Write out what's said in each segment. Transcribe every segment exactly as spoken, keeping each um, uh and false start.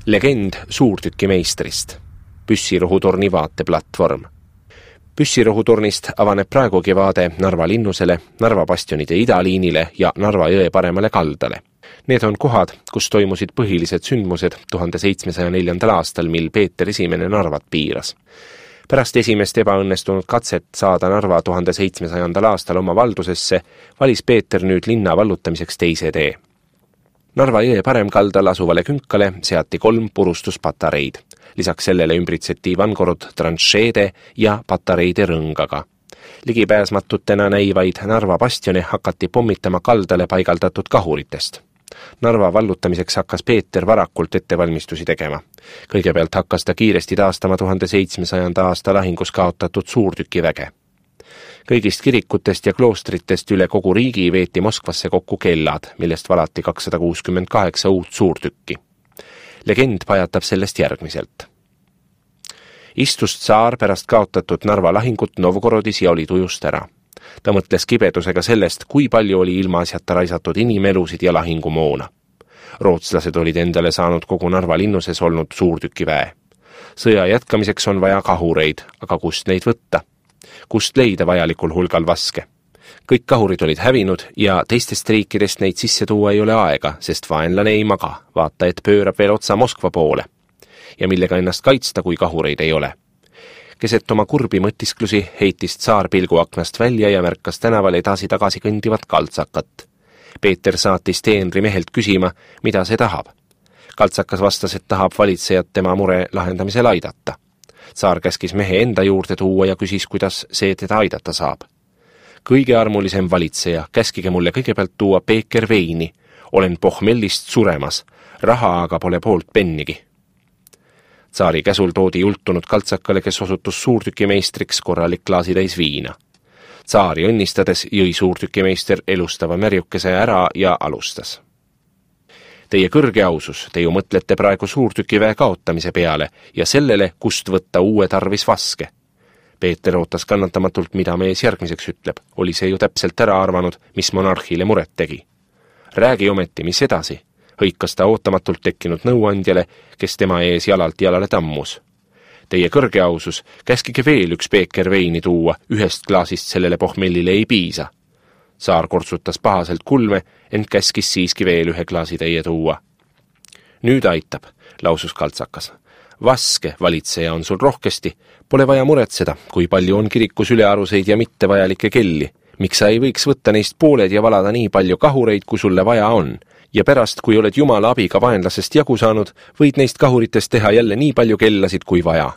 Legend suurtükimeistrist. Püssirohutorni vaateplatvorm. Püssirohutornist avaneb praegugi vaade Narva linnusele, Narva bastionide idaliinile ja Narva jõe paremale kaldale. Need on kohad, kus toimusid põhilised sündmused tuhande seitsmesaja neljandal aastal, mil Peeter Esimene Narvat piiras. Pärast esimest ebaõnnestunud katset saada Narva tuhande seitsmesajandal aastal oma valdusesse, valis Peeter nüüd linna vallutamiseks teise tee. Narva jõe paremkaldal asuvale künkale seati kolm purustuspatareid. Lisaks sellele ümbritseti Ivangorod tranšeede ja patareide rõngaga. Ligipääsmatutena näivaid Narva bastione hakati pommitama kaldale paigaldatud kahuritest. Narva vallutamiseks hakkas Peeter varakult ettevalmistusi tegema. Kõigepealt hakkas ta kiiresti taastama tuhande seitsmesajanda aasta lahingus kaotatud suurtükiväge. Kõigist kirikutest ja kloostritest üle kogu riigi veeti Moskvasse kokku kellad, millest valati kakssada kuuskümmend kaheksa uut suurtükki. Legend pajatab sellest järgmiselt. Istus tsaar pärast kaotatud Narva lahingut Novgorodis ja oli tujust ära. Ta mõtles kibedusega sellest, kui palju oli ilmaasjata raisatud inimelusid ja lahingumoona. Rootslased olid endale saanud kogu Narva linnuses olnud suurtükiväe. Sõja jätkamiseks on vaja kahureid, aga kust neid võtta? Kust leida vajalikul hulgal vaske? Kõik kahurid olid hävinud ja teistest riikidest neid sisse tuua ei ole aega, sest vaenlane ei maga, vaata, et pöörab veel otsa Moskva poole. Ja millega ennast kaitsta, kui kahureid ei ole? Keset oma kurbi mõtisklusi heitis tsaar pilguaknast välja ja märkas tänaval edasi-tagasi kõndivat kaltsakat. Peeter saatis teenri mehelt küsima, mida see tahab. Kaltsakas vastas, et tahab valitsejat tema mure lahendamisel aidata. Tsaar käskis mehe enda juurde tuua ja küsis, kuidas see teda aidata saab. Kõige armulisem valitseja, käskige mulle kõigepealt tuua peeker veini. Olen pohmellist suremas, raha aga pole poolt pennigi. Tsaari käsul toodi jultunud kaltsakale, kes osutus suurtükimeistriks, korralik klaasitäis viina. Tsaari õnnistades jõi suurtükimeister elustava märjukese ära ja alustas. Teie kõrge ausus, te ju mõtlete praegu suurtükiväe kaotamise peale ja sellele, kust võtta uue tarvis vaske. Peeter ootas kannatamatult, mida mees järgmiseks ütleb. Oli see ju täpselt ära arvanud, mis monarhile muret tegi. Räägi ometi, mis edasi? Hõikas ta ootamatult tekkinud nõuandjale, kes tema ees jalalt jalale tammus. Teie kõrge ausus, käskige veel üks peeker veini tuua, ühest klaasist sellele pohmellile ei piisa. Saar kortsutas pahaselt kulme, ent käskis siiski veel ühe klaasi teie tuua. Nüüd aitab, lausus kaltsakas. Vaske, valitseja, on sul rohkesti. Pole vaja muretseda, kui palju on kirikus ülearuseid ja mittevajalikke kelli. Miks sa ei võiks võtta neist pooled ja valada nii palju kahureid, kui sulle vaja on? Ja pärast, kui oled jumala abiga vaenlasest jagu saanud, võid neist kahuritest teha jälle nii palju kellasid kui vaja.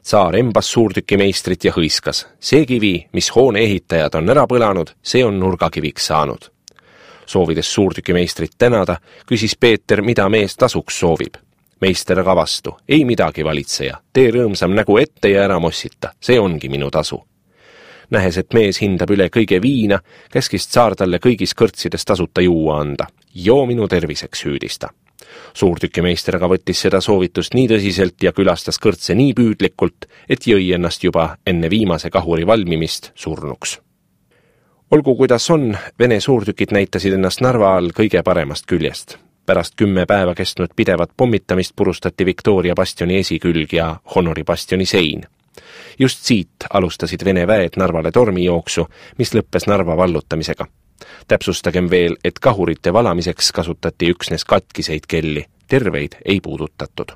Tsaar embas suurtükimeistrit ja hõiskas. See kivi, mis hoone ehitajad on ära põlanud, see on nurgakiviks saanud. Soovides suurtükimeistrit tänada, küsis Peeter, mida mees tasuks soovib. Meister aga vastu. Ei midagi, valitseja. Tee rõõmsam nägu ette ja ära mossita. See ongi minu tasu. Nähes, et mees hindab üle kõige viina, käskis tsaar talle kõigis kõrtsides tasuta juua anda. Joo minu terviseks, hüüdista. Suurtükimeister aga võttis seda soovitust nii tõsiselt ja külastas kõrtse nii püüdlikult, et jõi ennast juba enne viimase kahuri valmimist surnuks. Olgu kuidas on, Vene suurtükid näitasid ennast Narva all kõige paremast küljest. Pärast kümme päeva kestnud pidevat pommitamist purustati Victoria bastioni esikülg ja Honori bastioni sein. Just siit alustasid Vene väed Narvale tormijooksu, mis lõppes Narva vallutamisega. Täpsustagem veel, et kahurite valamiseks kasutati üksnes katkiseid kelli, terveid ei puudutatud.